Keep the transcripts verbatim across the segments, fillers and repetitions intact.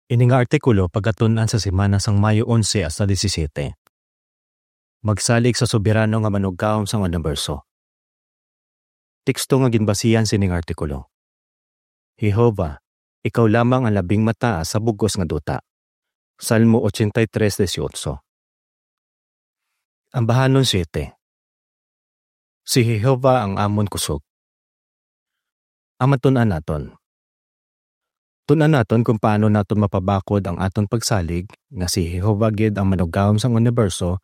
Ini nga artikulo pagatun-an sa semana sang Mayo onse hasta disisiete. Magsalig sa Soberano nga Manugahom sang Uniberso. Teksto nga ginbasihan sining artikulo: Jehovah, ikaw lamang ang labing mataas sa bug-os nga duta. Salmo ochenta y tres dieciocho. Ambahanon siete. Si Jehovah ang amon kusog. Ang matun-an naton. Tun-an naton kung paano naton mapabakod ang aton pagsalig nga si Jehovah gid ang Manugahom sang uniberso,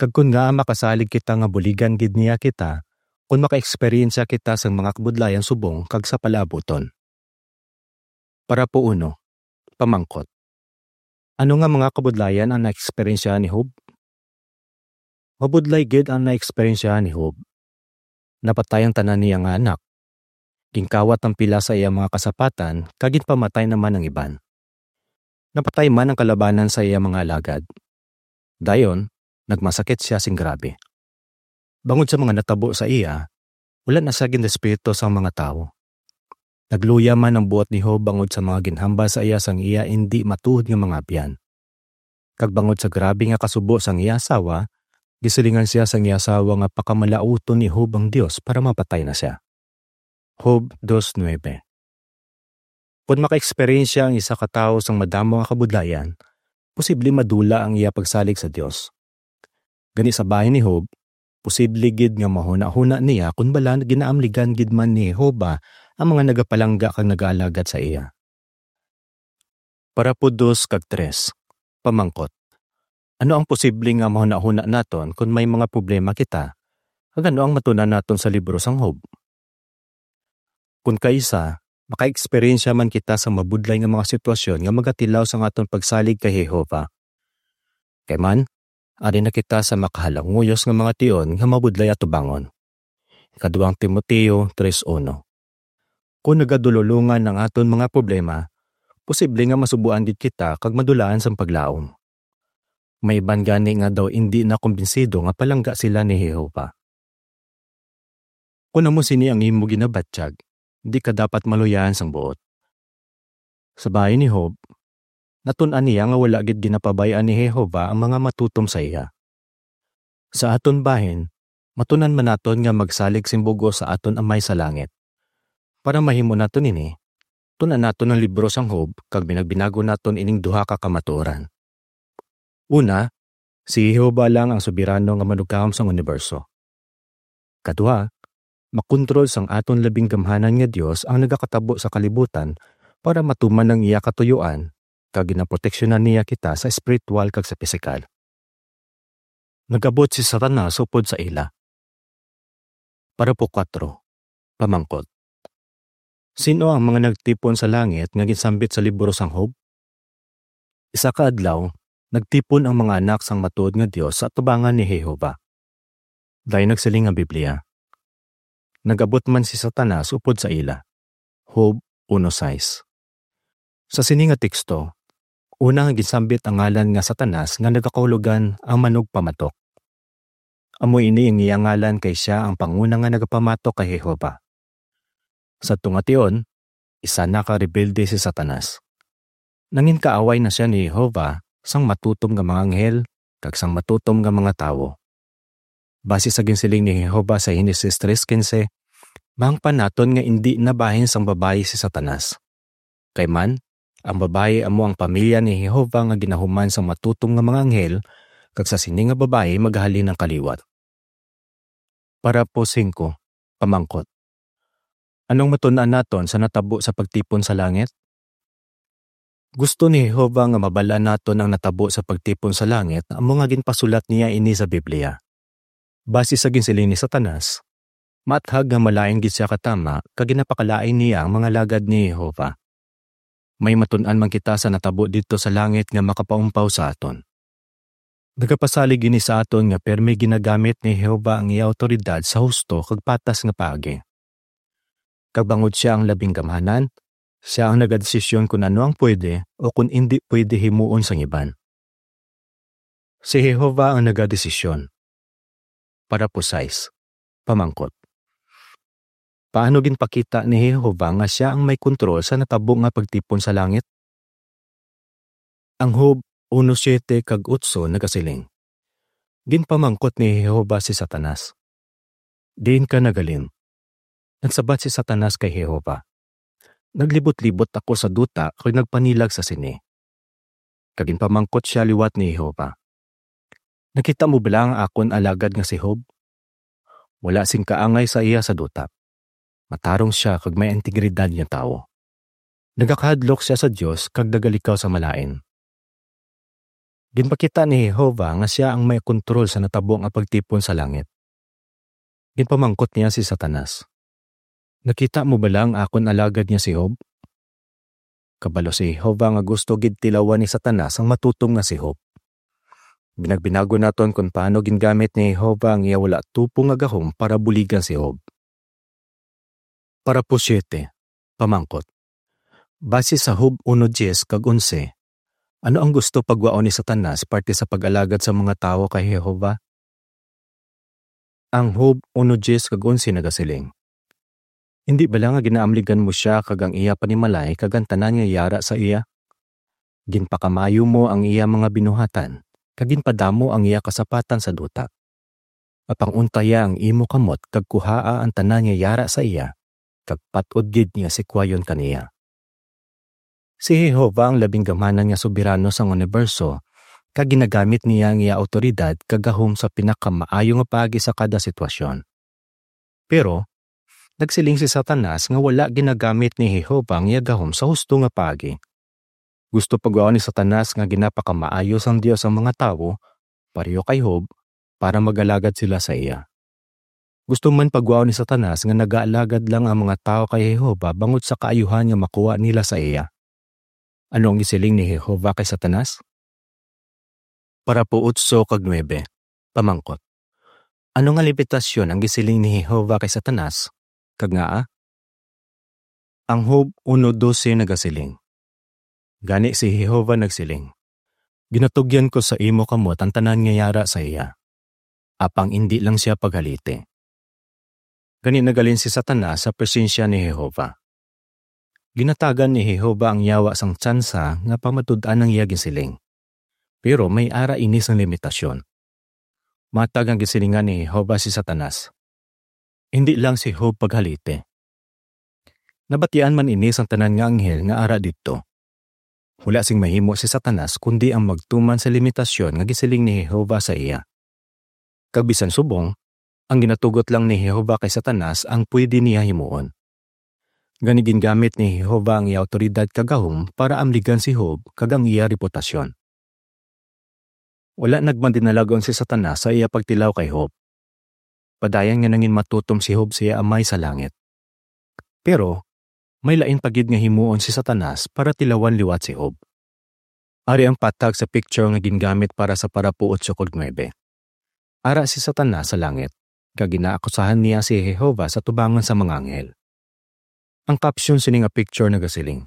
kag kon ngaa makasalig kita nga buligan gid niya kita kon makaeksperyensya kita sang mga kabudlayan subong kag sa palaabuton. Parapo uno, pamangkot: Ano nga mga kabudlayan ang naeksperyensyahan ni Job? Mabudlay gid ang naeksperyensyahan ni Job. Napatay ang tanan niya nga anak. Ginkawat ang pila sa iya mga kasapatan, kag ginpamatay naman ang iban. Napatay man ang kalabanan sa iya mga alagad. Dayon, nagmasakit sia sing grabe. Bangod sa mga natabo sa iya, wala na sia ginrespeto sang mga tawo. Nagluya man ang buot ni Job bangod sa mga ginhambal sa iya sang iya indi matuod nga mga abyan. Kag bangod sa grabe nga kasubo sang iya asawa, gisilingan sia sang iya asawa nga pakamalaoton ni Job ang Dios para mapatay na sia. Job dos nuebe. Kon makaeksperyensya ang isa ka tawo sang madamo nga kabudlayan, posible madula ang iya pagsalig sa Dios. Gani, sa bahin ni Job, posible gid nga mahunahuna niya kon bala ginaamligan gid man ni Jehovah ang mga nagapalangga kag nagaalagad sa iya. Parapo dos kag tres, pamangkot: Ano ang posible nga mahunahuna naton kon may mga problema kita? Kag ano ang matun-an naton sa libro sang Job? Kon kaisa, makaeksperyensya man kita sa mabudlay nga mga sitwasyon nga magatilaw sang aton pagsalig kay Jehovah. Kay man, ari na kita sa makahalanguyos nga mga tion nga mabudlay atubangon. Ikaduang Timoteo tres uno. Kon nagadululongan ang aton mga problema, posible nga masubuan gid kita kag madulaan sang paglaom. May iban gani nga daw indi na kumbinsido nga palangga sila ni Jehovah. Kon amo sini ang imo ginabatyag, di ka dapat maluyahan sang buot. Sa bahin ni Job, natun-an niya nga wala gid ginapabay-an ni Jehovah ang mga matutom sa iya. Sa aton bahin, matun-an man naton nga magsalig sing bug-os sa aton Amay sa langit. Para mahimo naton ini, tun-an naton ang libro sang Job kag binagbinagon naton ining duha ka kamatuoran. Una, si Jehovah lang ang soberano nga manugahom sang uniberso. Kaduha, makontrol sang aton labing gamhanan nga Dios ang nagakatabo sa kalibutan para matuman ang iya katuyoan, kag ginaproteksyonan niya kita sa espiritual kag sa pisikal. Nag-abot si Satanas upod sa ila. Parapo kuwatro, pamangkot: Sin-o ang mga nagtipon sa langit nga ginsambit sa libro sang Job? Isa ka adlaw, nagtipon ang mga anak sang matuod nga Dios sa atubangan ni Jehovah. Dayon nagsiling ang Biblia: Nag-abot man si Satanas upod sa ila. Job uno sais. Sa sini nga teksto, una nga ginsambit ang ngalan nga Satanas nga nagakahulogan ang manugpamatok. Amo ini ang iya ngalan kay sia ang panguna nga nagapamatok kay Jehovah. Sa tunga tion, isa na ka rebelde si Satanas. Nangin kaaway na sia ni Jehovah sang matutom nga mga anghel kag sang matutom nga mga tawo. Basi sa ginsiling ni Jehovah sa Genesis tres quince, mahangpan naton nga indi na bahin sang babayi si Satanas. Kay man, ang babayi amo ang pamilya ni Jehovah nga ginahuman sang matutom nga mga anghel, kag sa sini nga babayi magahalin ang kaliwat. Parapo singko, pamangkot: Anong matun-an naton sa natabo sa pagtipon sa langit? Gusto ni Jehovah nga mabal-an naton ang natabo sa pagtipon sa langit, amo nga ginpasulat niya ini sa Biblia. Basi sa ginsiling ni Satanas, maathag nga malain gid sia katama kag ginapakalain niya ang mga alagad ni Jehovah. May matun-an man kita sa natabo didto sa langit nga makapaumpaw sa aton. Nagapasalig ini sa aton nga pirme ginagamit ni Jehovah ang iya awtoridad sa husto kag patas nga paagi. Kag bangod sia ang labing gamhanan, sia ang nagadesisyon kon ano ang pwede o kon indi pwede himuon sang iban. Si Jehovah ang nagadesisyon. Parapo sais, pamangkot: Paano ginpakita ni Jehovah nga sia ang may kontrol sa natabo nga pagtipon sa langit? Ang Job uno siete kag otso nagasiling, Ginpamangkot ni Jehovah si Satanas, "Diin ka naghalin?" Nagsabat si Satanas kay Jehovah, "Naglibot-libot ako sa duta kag nagpanilag sa sini." Kag ginpamangkot sia liwat ni Jehovah, "Nakita mo bala ang akon alagad nga si Job? Wala sing kaangay sa iya sa duta. Matarong sia kag may integridad nga tawo. Nagakahadlok sia sa Dios kag nagalikaw sa malain." Ginpakita ni Jehovah nga sia ang may kontrol sa natabo nga pagtipon sa langit. Ginpamangkot niya si Satanas, "Nakita mo bala ang akon alagad nga si Job?" Kabalo si Jehovah nga gusto gid tilawan ni Satanas ang matutom nga si Job. Binagbinagon naton kon paano gingamit ni Jehovah ang iya wala tupong nga gahom para buligan si Job. Parapo siete, pamangkot. Base sa Job uno diez kag onse, ano ang gusto pagwaon ni Satanas parte sa pag-alagad sa mga tawo kay Jehovah? Ang Job uno diez kag onse nagasiling, "Hindi bala nga ginaamligan mo sia kag ang iya panimalay kag ang tanan nga yara sa iya? Ginpakamaayo mo ang iya mga binuhatan, kag ginpadamo ang iya kasapatan sa duta. Apang untaya ang imo kamot kag kuhaa ang tanan nga yara sa iya, kag pat-od gid nga sikwayon ka niya." Si Jehovah ang labing gamhanan nga soberano sang uniberso, kag ginagamit niya ang iya awtoridad kag gahom sa pinakamaayo nga paagi sa kada sitwasyon. Pero, nagsiling si Satanas nga wala ginagamit ni Jehovah ang iya gahom sa husto nga paagi. Gusto pagwaon ni Satanas nga ginapakamaayo sang Dios ang mga tawo, pareho kay Job, para mag-alagad sila sa iya. Gusto man pagwaon ni Satanas nga nagaalagad lang ang mga tawo kay Jehovah bangod sa kaayuhan nga makuha nila sa iya. Ano ang gisiling ni Jehovah kay Satanas? Parapo otso kag nuebe, pamangkot. Ano nga limitasyon ang gisiling ni Jehovah kay Satanas, kag ngaa? Ang Job uno doce nagasiling, "Gani si Jehovah nagsiling, 'Ginatugyan ko sa imo kamot ang tanan nga yara sa iya, apang indi lang sia paghaliti.'" Gani naghalin si Satanas sa presensya ni Jehovah. Ginatagan ni Jehovah ang yawa sang tsansa nga pamatud-an ang iya ginsiling. Pero may ara ini sang limitasyon. Matag ang gisilingan ni Jehovah si Satanas, "Hindi lang si Job paghaliti." Nabatian man ini sang tanan nga anghel nga ara didto. Wala sing mahimo si Satanas kundi ang magtuman sa limitasyon nga gisiling ni Jehovah sa iya. Kag bisan subong, ang ginatugot lang ni Jehovah kay Satanas ang pwede niya himuon. Gani gingamit ni Jehovah ang iya awtoridad kag gahom para amligan si Job kag ang iya reputasyon. Wala nagmadinalagon si Satanas sa iya pagtilaw kay Job. Padayon nga nangin matutom si Job sa iya Amay sa langit. Pero may lain pa gid nga himuon si Satanas para tilawan liwat si Job. Ari ang patag sa picture nga gingamit para sa parapo otso kag nuebe. Ara si Satanas sa langit, kag ginaakusahan niya si Jehovah sa tubangan sa mga anghel. Ang caption sini nga picture nagasiling,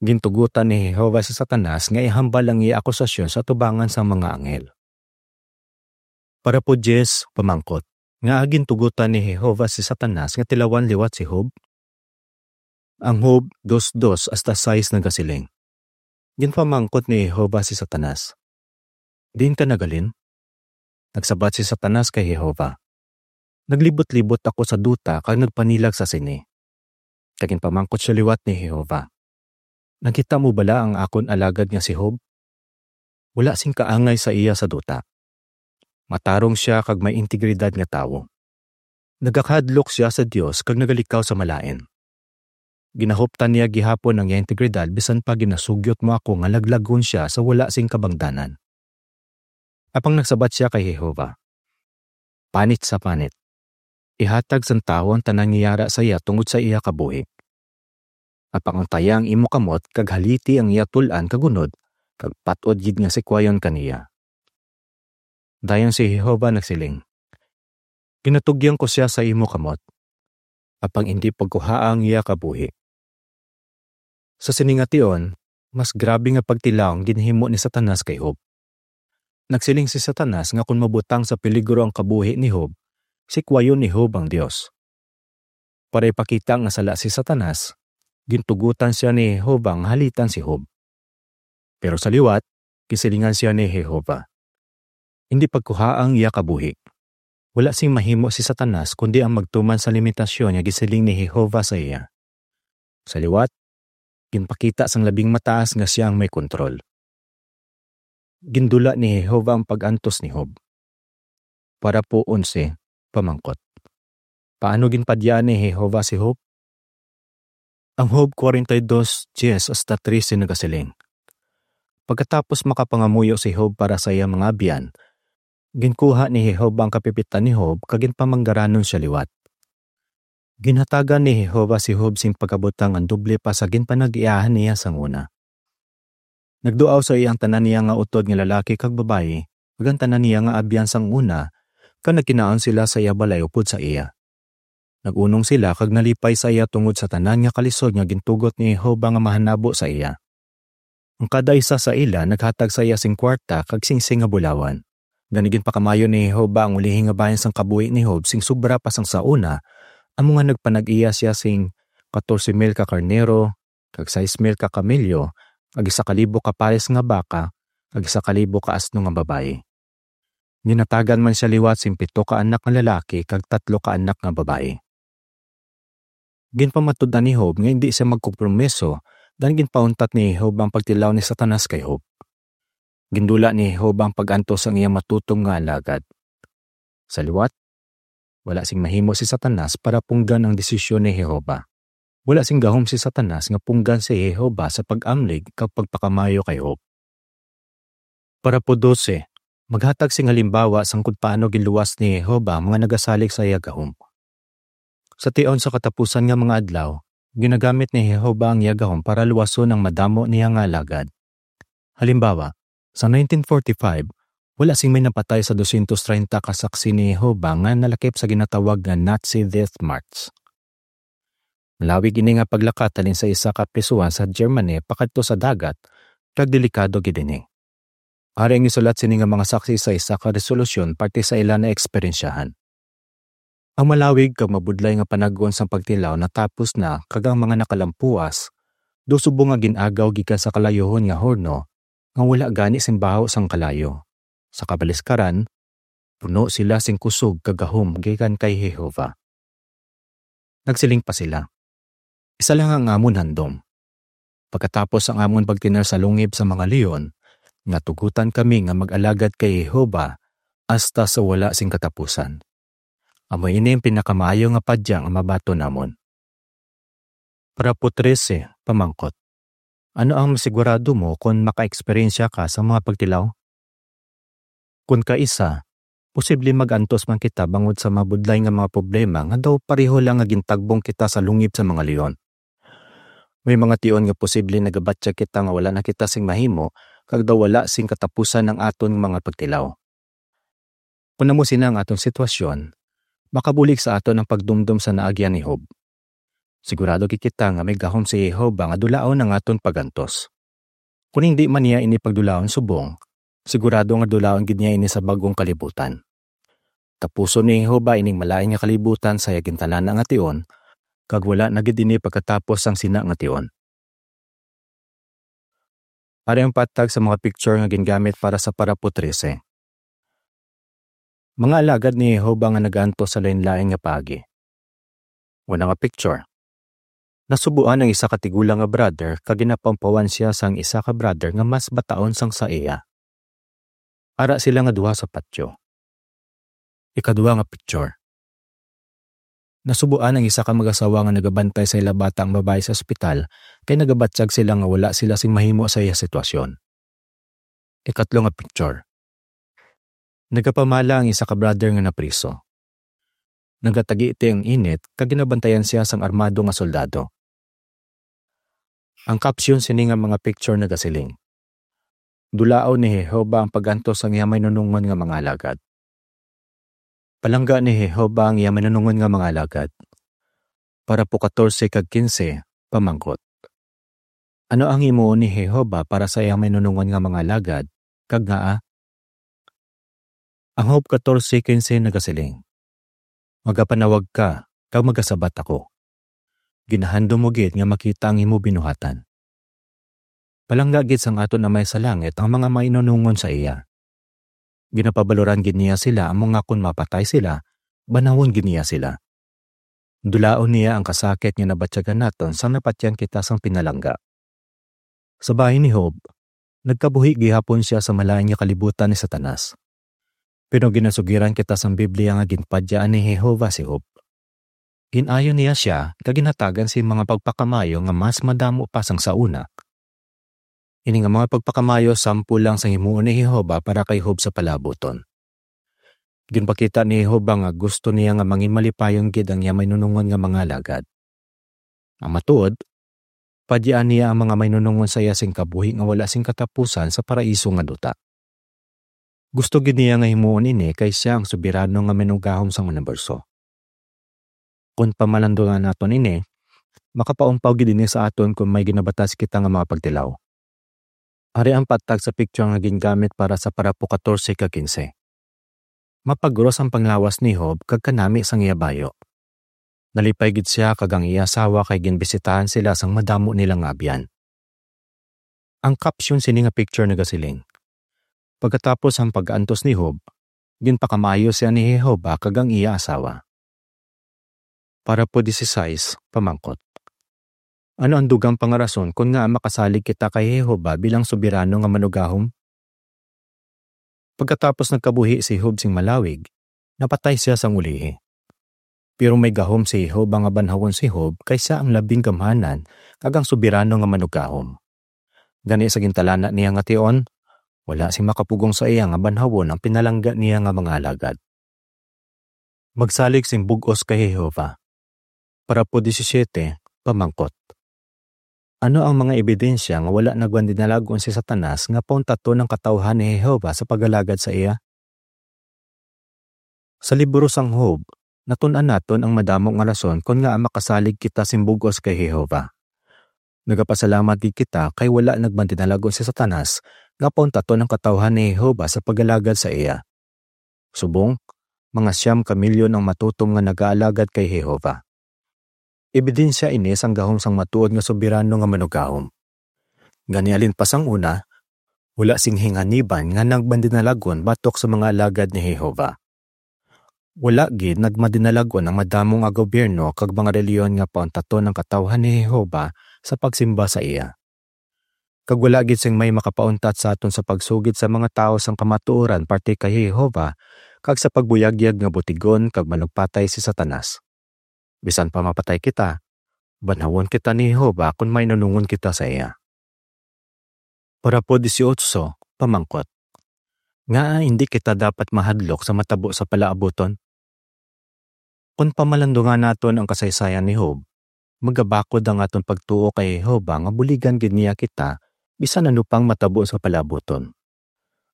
"Gintugotan ni Jehovah si Satanas nga ihambal ang iya akusasyon sa tubangan sang mga anghel." Parapo diyes, pamangkot, ngaa gintugotan ni Jehovah si Satanas nga tilawan liwat si Job? Ang Job dos dos hasta sais nagasiling, Ginpamangkot ni Jehovah si Satanas, "Diin ka naghalin?" Nagsabat si Satanas kay Jehovah, "Naglibot-libot ako sa duta kag nagpanilag sa sini." Kag ginpamangkot sia liwat ni Jehovah, "Nakita mo bala ang akon alagad nga si Job? Wala sing kaangay sa iya sa duta. Matarong sia kag may integridad nga tawo. Nagakahadlok sia sa Dios kag nagalikaw sa malain. Ginahuptan niya gihapon ang iya integridad bisan pa ginasugyot mo ako nga laglagon sia sa wala sing kabangdanan." Apang nagsabat sia kay Jehovah, "Panit sa panit, ihatag sang tawo ang tanan nga yara sa iya tungod sa iya kabuhi. Apang untaya ang imo kamot kag haliti ang iya tul-an kag unod, kag pat-od gid nga sikwayon ka niya." Dayon si Jehovah nagsiling, "Ginatugyan ko sia sa imo kamot, apang indi pagkuhaa ang iya kabuhi." Sa sini nga tion, mas grabe nga pagtilaw ang ginhimo ni Satanas kay Job. Nagsiling si Satanas nga kon mabutang sa peligro ang kabuhi ni Job, sikwayon ni Job ang Dios. Para ipakita nga sala si Satanas, gintugotan sia ni Jehovah nga halitan si Job. Pero sa liwat, gisilingan sia ni Jehovah. Indi pagkuhaa ang iya kabuhi. Wala sing mahimo si Satanas kundi ang magtuman sa limitasyon nga gisiling ni Jehovah sa iya. Sa liwat, ginpakita sang Labing Mataas nga sia ang may kontrol. Gindula ni Jehovah ang pag-antos ni Job. Parapo onse, pamangkot. Paano ginpadya ni Jehovah si Job? Ang Job forty-two, ten hasta trese nagasiling, pagkatapos makapangamuyo si Job para sa iya mga abyan, ginkuha ni Jehovah ang kapipitan ni Job kag ginpamanggaranon sia liwat. Ginhatagan ni Jehovah si Job sing pagkabutang nga doble pa sa ginpanag-iyahan niya sang una. Nagduaw sa iya ang tanan niya nga utod nga lalaki kag babayi, kag ang tanan niya nga abyan sang una, kag nagkinaon sila sa iya balay upod sa iya. Nag-unong sila kag nalipay sa iya tungod sa tanan nga kalisod nga gintugot ni Jehovah nga mahanabo sa iya. Ang kada isa sa ila naghatag sa iya sing kwarta kag singsing nga bulawan. Gani ginpakamayo ni Jehovah ang ulihi nga bahin sang kabuhi ni Job sing sobra pa sang sa una, amo nga nagpanag-iya sia sing katorse mil ka karnero, kag sais mil ka kamelyo, kag isa ka libo ka pares nga baka, kag isa ka libo ka asno nga babayi. Ginhatagan man sia liwat sing pito ka anak nga lalaki kag tatlo ka anak nga babayi. Ginpamatud-an ni Job nga indi sia magkompromiso, daw ginpauntat ni Job ang pagtilaw ni Satanas kay Job. Gindula ni Job ang pag-antos sang iya matutom nga alagad. Sa liwat, wala sing mahimo si Satanas para punggan ang desisyon ni Jehovah. Wala sing gahom si Satanas nga punggan si Jehovah sa pag-amlig kag pagpakamayo kay Job. Parapo dose, maghatag sing halimbawa sang kon paano ginluwas ni Jehovah ang mga nagasalig sa iya gahom. Sa tion sa katapusan nga mga adlaw, ginagamit ni Jehovah ang iya gahom para luwason ang madamo niya nga alagad. Halimbawa, sa nineteen forty-five, wala sing may napatay sa dosyentos treinta ka saksi ni Jehovah nga nalakip sa ginatawag nga Nazi Death March. Malawig ini nga paglakat halin sa isa ka prisuhan sa Germany pakadto sa dagat, kag delikado gid ini. Ari ang gisulat sini nga mga saksi sa isa ka resolusyon parte sa ila naeksperyensyahan. Ang malawig kag mabudlay nga panag-on sang pagtilaw natapos na, kag ang mga nakalampuas daw subong nga gin-agaw gikan sa kalayuhon nga horno nga wala gani sing baho sang kalayo. Sa kabaliskaran, puno sila sing kusog kag gahom gikan kay Jehovah. Nagsiling pa sila, "Isa lang ang amon handom. Pagkatapos ang amon pagtener sa lungib sa mga leon, nga tugutan kami nga mag-alagad kay Jehovah hasta sa wala sing katapusan. Amo ini ang pinakamaayo nga padya nga mabaton namon." Parapo trese, pamangkot. Ano ang masigurado mo kon makaeksperyensya ka sa mga pagtilaw? Kon kaisa, posible mag-antos man kita bangod sa mabudlay nga mga problema nga daw pareho lang nga gintagbong kita sa lungib sa mga leon. May mga tion nga posible nagabatyag kita nga wala na kita sing mahimo, kag daw wala sing katapusan ang aton mga pagtilaw. Kon amo sina ang aton sitwasyon, makabulig sa aton ang pagdumdom sa naagyan ni Job. Sigurado gid kita nga may gahom si Jehovah nga dulaon ang aton pag-antos. Kon hindi man niya ini pagdulaon subong, sigurado nga dulaon gid niya ini sa bag-ong kalibutan. Tapuson ni Jehovah ining malain nga kalibutan sa iya gintanan-a nga tion, kag wala na gid ini pagkatapos sang sina nga tion. Ari ang patag sa mga picture nga gingamit para sa parapo trese. Mga alagad ni Jehovah nga nagaantos sa lain-lain nga paagi. Una nga picture. Nasubuan ang isa ka tigulang nga brother kag ginapampawan sia sang isa ka brother nga mas bataon sang sa iya. Ara sila nga duha sa patyo. Ikadua nga picture. Nasubuan ang isa ka mag-asawa nga nagabantay sa ila bata ang babayi sa ospital, kay nagabatyag sila nga wala sila sing mahimo sa iya sitwasyon. Ikatlo nga picture. Nagapamala ang isa ka brother nga napriso. Nagatagiti ang init kag ginabantayan sia sang armado nga soldado. Ang caption sini nga mga picture nagasiling, "Dulaon ni Jehovah ang pag-antos sang iya mainunungon nga mga alagad." Palangga ni Jehovah ang iya mainunungon nga mga alagad. Parapo katorse kag kinse, pamangkot. Ano ang himuon ni Jehovah para sa iya mainunungon nga mga alagad, kag ngaa? Ang Job katorse kinse nagasiling, "Magapanawag ka, kag magasabat ako. Ginahandom mo gid nga makita ang imo binuhatan." Palangga gid sang aton Amay sa langit ang mga mainunungon sa iya. Ginapabaloran gid niya sila, amo nga kon mapatay sila, banhawon gid niya sila. Dulaon niya ang kasakit nga nabatyagan naton sang napatyan kita sang pinalangga. Sa bahin ni Job, nagkabuhi gihapon sia sa malain nga kalibutan ni Satanas. Pero ginasugiran kita sang Biblia nga ginpadyaan ni Jehovah si Job. Gin-ayo niya sia kag ginhatagan sing mga pagpakamayo nga mas madamo pa sang sa una. Ini nga mga pagpakamayo sample lang sang himuon ni Jehovah para kay Job sa palaabuton. Ginpakita ni Jehovah nga gusto niya nga mangin malipayon gid ang iya mainunungon nga mga alagad. Ang matuod, padyaan niya ang mga mainunungon sa iya sing kabuhi nga wala sing katapusan sa paraiso nga duta. Gusto gid niya nga himuon ini kay sia ang soberano nga Manugahom sang uniberso. Kon pamalandungan naton ini, makapaumpaw gid ini sa aton kon may ginabatas kita nga mga pagtilaw. Ari ang patag sa picture nga gingamit para sa parapo katorse kag kinse. Mapagros ang panglawas ni Job kag kanami sang iya bayo. Nalipay gid sia kag ang iya asawa kay ginbisitahan sila sang madamo nila nga abyan. Ang caption sini nga picture nagasiling, "Pagkatapos ang pag-antos ni Job, ginpakamaayo sia ni Jehovah kag ang iya asawa." Parapo disisais, pamangkot. Ano ang dugang pa nga rason kon ngaa makasalig kita kay Jehovah bilang soberano nga Manugahom? Pagkatapos nagkabuhi si Job sing malawig, napatay sia sang ulihi. Pero may gahom si Jehovah nga banhawon si Job kay sia ang labing gamhanan kag ang soberano nga Manugahom. Gani, sa gintalana niya nga tion, wala sing makapugong sa iya nga banhawon ang pinalangga niya nga mga alagad. Magsalig sing bug-os kay Jehovah. Parapo disisiete, pamangkot. Ano ang mga ebidensya nga wala nagmandinalagon si Satanas nga pauntaton ang katawhan ni Jehovah sa pag-alagad sa iya? Sa libro sang Job, natun-an naton ang madamo nga rason kon ngaa makasalig kita sing bug-os kay Jehovah. Nagapasalamat gid kita kay wala nagmandinalagon si Satanas nga pauntaton ang katawhan ni Jehovah sa pag-alagad sa iya. Subong, mga siyam ka milyon ang matutom nga nagaalagad kay Jehovah. Ebidensya ini sang gahom sang matuod nga soberano nga Manugahom. Gani, alin pa sang una, wala sing hinganiban nga nagmandinalagon batok sa mga alagad ni Jehovah. Wala gid nagmadinalagon ang madamo nga gobyerno kag mga relihiyon nga pauntaton ang katawhan ni Jehovah sa pagsimba sa iya. Kag wala gid sing may makapauntat sa aton sa pagsugid sa mga tawo sang kamatuoran parte kay Jehovah kag sa pagbuyagyag nga butigon kag manugpatay si Satanas. Bisan pa mapatay kita, banhawon kita ni Jehovah kon mainunungon kita sa iya. Parapo dieciocho, pamangkot. Ngaa hindi kita dapat mahadlok sa matabo sa palaabuton? Kon pamalandungan naton ang kasaysayan ni Job, magabakod ang aton pagtuo kay Jehovah nga buligan gid niya kita bisan ano pang matabo sa palaabuton.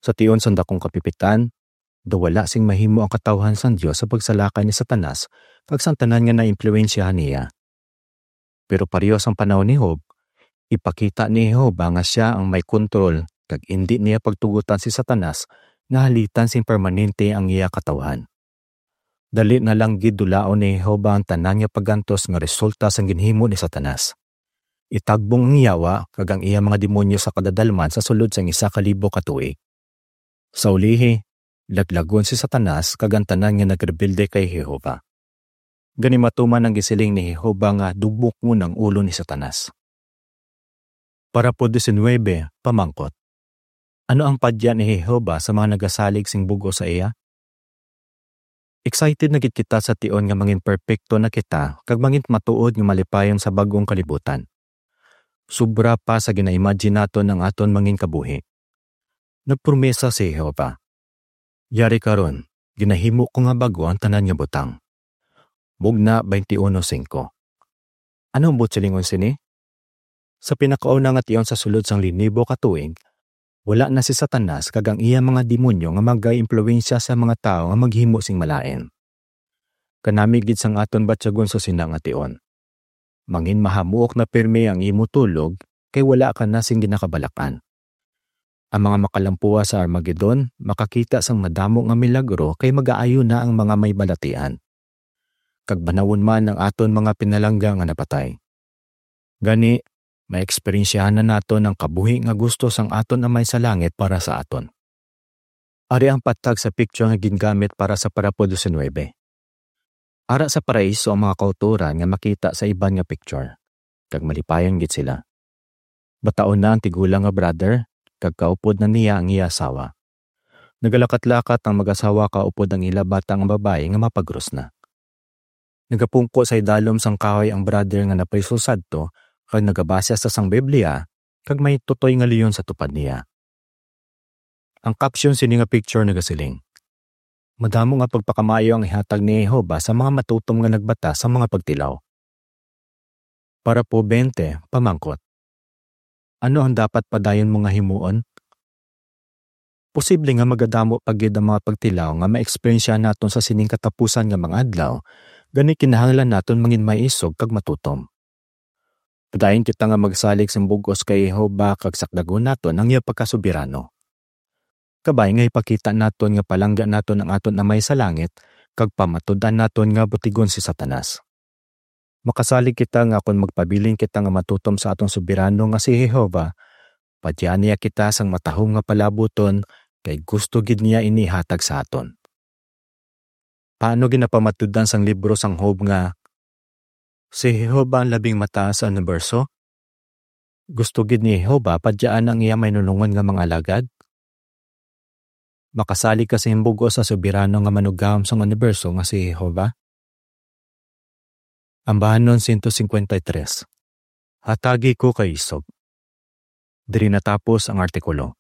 Sa tion sang dakong kapipitan, daw wala sing mahimo ang katawhan sang Dios sa pagsalakay ni Satanas kag sang tanan nga naimpluwensyahan niya. Pero pareho sang panahon ni Job, ipakita ni Jehovah nga sia ang may kontrol kag indi niya pagtugotan si Satanas nga halitan sing permanente ang iya katawhan. Dali na lang gid dulaon ni Jehovah ang tanan nga pag-antos nga resulta sang ginhimo ni Satanas. Itagbong ang yawa kag ang iya mga demonyo sa kadadalman sa sulod sang isa ka libo ka tuig. Sa ulihi, laglagon si Satanas kag ang tanan nga nagrebelde kay Jehovah. Gani, matuman ang gisiling ni Jehovah nga dubokon ang ulo ni Satanas. Parapo diecinuebe, pamangkot. Ano ang padya ni Jehovah sa mga nagasalig sing bug-os sa iya? Excited na gid kita sa tion nga mangin perpekto na kita kag mangin matuod nga malipayon sa bag-ong kalibutan. Sobra pa sa gina-imagine naton ang aton mangin kabuhi. Nagpromesa si Jehovah, "Yari karon, ginahimo ko nga bag-o ang tanan nga butang." Mugna twenty-one cinco. Ano ang buot silingon sini? Sa pinakauna nga tion sa sulod sang linibo ka tuig, wala na si Satanas kag ang iya mga demonyo nga magaimpluwensya sa mga tawo nga maghimo sing malain. Kanami gid sang aton batyagon sa sina nga tion. Mangin mahamuok na pirme ang imo tulog, kay wala ka na sing ginakabalak-an. Ang mga makalampuwa sa Armagedon makakita sang madamo nga milagro, kay magaayo na ang mga may balatian. Kag banawon man ang aton mga pinalangga nga napatay. Gani, Maeksperiensyahan na naton ang kabuhi nga gusto sang aton Amay sa Langit para sa aton. Ari ang patag sa picture nga gingamit para sa parapo disinuebe. Ara sa paraiso ang mga kautoran nga makita sa iban nga picture, kag malipayon gid sila. Bataon na ang tigulang nga brother, kag kaupod na niya ang iya asawa. Nagalakat-lakat ang mag-asawa kaupod ang ila bata nga babayi nga mapagros na. Nagapungko sa idalom sang kahoy ang brother nga napriso sadto, kag nagabasa sa sang Biblia, kag may tutoy nga leon sa tupad niya. Ang caption sini nga picture nagasiling, "Madamo nga pagpakamaayo ang ihatag ni Jehovah sa mga matutom nga nagbata sa mga pagtilaw." Parapo twenty, pamangkot, ano ang dapat padayon mo nga himuon? Posible nga magadamo pa gid ang mga pagtilaw nga maeksperiensyahan naton sa sining katapusan nga mga adlaw, gani kinahanglan naton mangin maisog kag matutom. Padayon kita nga magsalig sing bug-os kay Jehovah kag sakdagon naton ang iya pagkasoberano. Kabay nga ipakita naton nga palangga naton ang aton Amay sa Langit kag pamatud-an naton nga butigon si Satanas. Makasalig kita nga kon magpabilin kita nga matutom sa aton Soberano nga si Jehovah, padya niya kita sang matahom nga palabuton, kay gusto gid niya ini ihatag sa aton. Paano ginapamatud-an sang libro sang Job nga si Jehovah ang labing mataas sa uniberso? Gusto gid ni Jehovah padyaan ang iya mainunungon nga mga alagad? Makasalig ka sa himbug-os sa Soberano nga Manugahom sang uniberso nga si Jehovah? Ambahanon sento singkwenta y tres. Hatagi ko kay isog. Diri natapos ang artikulo.